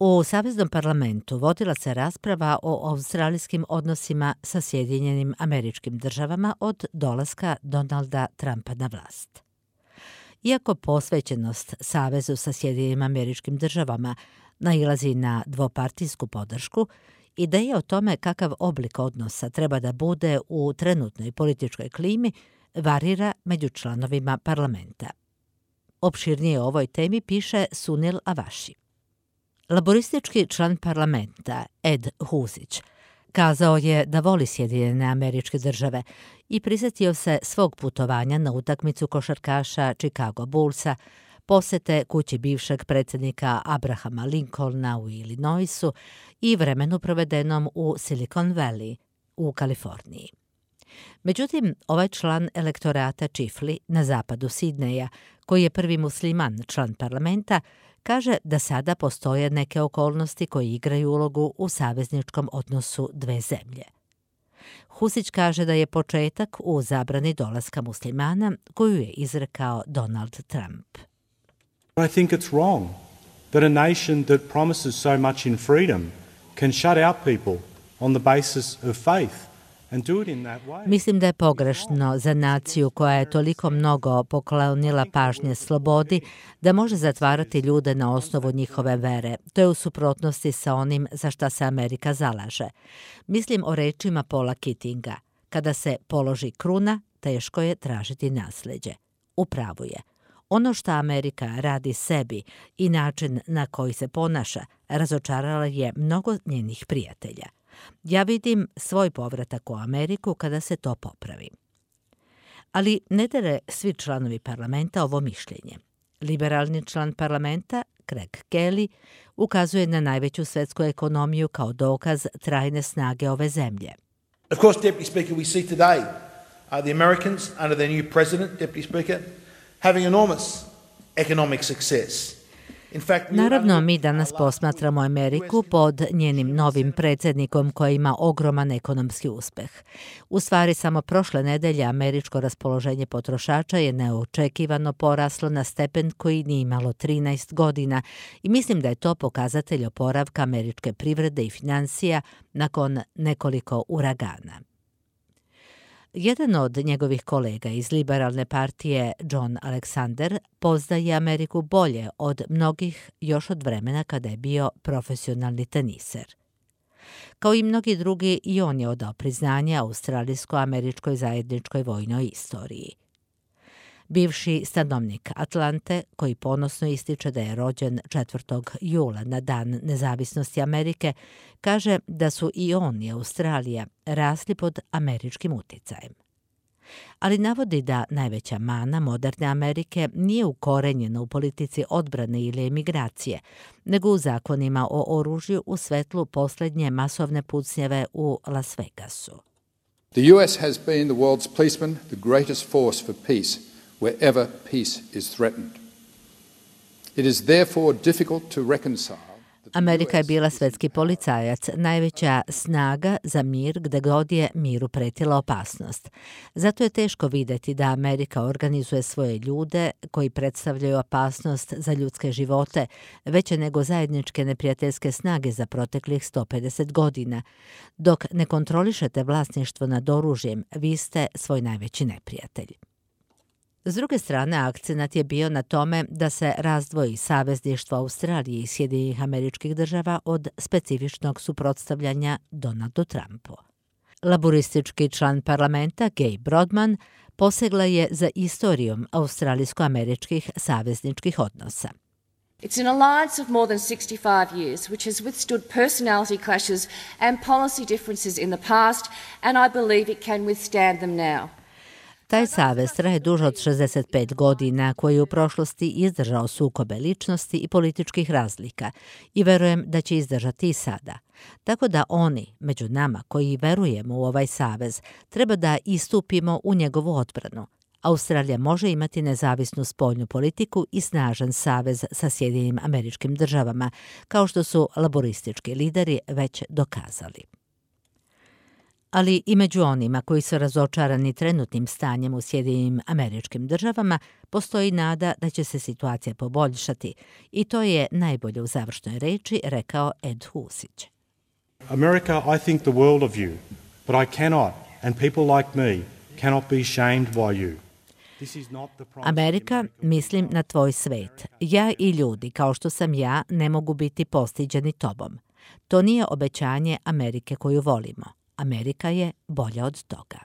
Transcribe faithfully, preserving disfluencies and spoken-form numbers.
U Saveznom parlamentu vodila se rasprava o australijskim odnosima sa Sjedinjenim Američkim Državama od dolaska Donalda Trumpa na vlast. Iako posvećenost savezu sa Sjedinjenim Američkim Državama nailazi na dvopartijsku podršku, ideja o tome kakav oblik odnosa treba da bude u trenutnoj političkoj klimi varira među članovima parlamenta. Opširnije o ovoj temi piše Sunil Avashi. Laboristički član parlamenta Ed Husić kazao je da voli Sjedinjene Američke Države i prisjetio se svog putovanja na utakmicu košarkaša Chicago Bullsa, posete kući bivšeg predsjednika Abrahama Lincolna u Illinoisu i vremenu provedenom u Silicon Valley u Kaliforniji. Međutim, ovaj član elektorata Chifley na zapadu Sidneja, koji je prvi musliman član parlamenta, kaže da sada postoje neke okolnosti koje igraju ulogu u savezničkom odnosu dve zemlje. Husić kaže da je početak u zabrani dolaska muslimana koju je izrekao Donald Trump. I think it's wrong that a nation that promises so much in freedom can shut out people on the basis of faith. Mislim da je pogrešno za naciju koja je toliko mnogo poklonila pažnje slobodi da može zatvarati ljude na osnovu njihove vere. To je u suprotnosti sa onim za šta se Amerika zalaže. Mislim o rečima Paula Keatinga. Kada se položi kruna, teško je tražiti nasljeđe. U pravu je. Ono što Amerika radi sebi i način na koji se ponaša razočarala je mnogo njenih prijatelja. Ja vidim svoj povratak u Ameriku kada se to popravi. Ali ne dele svi članovi parlamenta ovo mišljenje. Liberalni član parlamenta, Craig Kelly, ukazuje na najveću svetsku ekonomiju kao dokaz trajne snage ove zemlje. Of course, Deputy Speaker, we see today uh, the Americans under their new president, Deputy Speaker, having enormous economic success. Naravno, mi danas posmatramo Ameriku pod njenim novim predsjednikom koji ima ogroman ekonomski uspeh. U stvari, samo prošle nedelje američko raspoloženje potrošača je neočekivano poraslo na stepen koji nije imalo trinaest godina i mislim da je to pokazatelj oporavka američke privrede i financija nakon nekoliko uragana. Jedan od njegovih kolega iz liberalne partije, John Alexander, poznaje Ameriku bolje od mnogih još od vremena kada je bio profesionalni teniser. Kao i mnogi drugi, i on je odao priznanje australijsko-američkoj zajedničkoj vojnoj istoriji. Bivši stanovnik Atlante, koji ponosno ističe da je rođen četvrtog jula na dan nezavisnosti Amerike, kaže da su i on i Australija rasli pod američkim uticajem. Ali navodi da najveća mana moderne Amerike nije ukorenjena u politici odbrane ili emigracije, nego u zakonima o oružju u svetlu posljednje masovne pucnjeve u Las Vegasu. The U S has been the world's policeman, the greatest force for peace, wherever peace is threatened. It is therefore difficult to reconcile. Amerika je bila svetski policajac, najveća snaga za mir gde god je miru pretila opasnost. Zato je teško vidjeti da Amerika organizuje svoje ljude koji predstavljaju opasnost za ljudske živote, veće nego zajedničke neprijateljske snage za proteklih sto pedeset godina. Dok ne kontrolišete vlasništvo nad oružjem, vi ste svoj najveći neprijatelj. S druge strane, akcenat je bio na tome da se razdvoji savezništvo Australije i Sjedinjenih Američkih Država od specifičnog suprotstavljanja Donaldu Trumpu. Laboristički član parlamenta Gay Brodman posegla je za istorijom australijsko-američkih savezničkih odnosa. It's an alliance of more than sixty-five years, which has withstood personality clashes and policy differences in the past, and I believe it can withstand them now. Taj savez traje duže od šezdeset pet godina, koji je u prošlosti izdržao sukobe ličnosti i političkih razlika i verujem da će izdržati i sada. Tako da oni, među nama koji verujemo u ovaj savez, treba da istupimo u njegovu odbranu. Australija može imati nezavisnu spoljnu politiku i snažan savez sa Sjedinjenim Američkim Državama, kao što su laboristički lideri već dokazali. Ali i među onima koji su razočarani trenutnim stanjem u Sjedinjenim Američkim Državama postoji nada da će se situacija poboljšati i to je najbolje u završnoj reči rekao Ed Husić. America, I think the world of you, but I cannot, and people like me, cannot be shamed by you. Amerika, mislim na tvoj svet. Ja i ljudi, kao što sam ja, ne mogu biti postiđeni tobom. To nije obećanje Amerike koju volimo. Amerika je bolja od toga.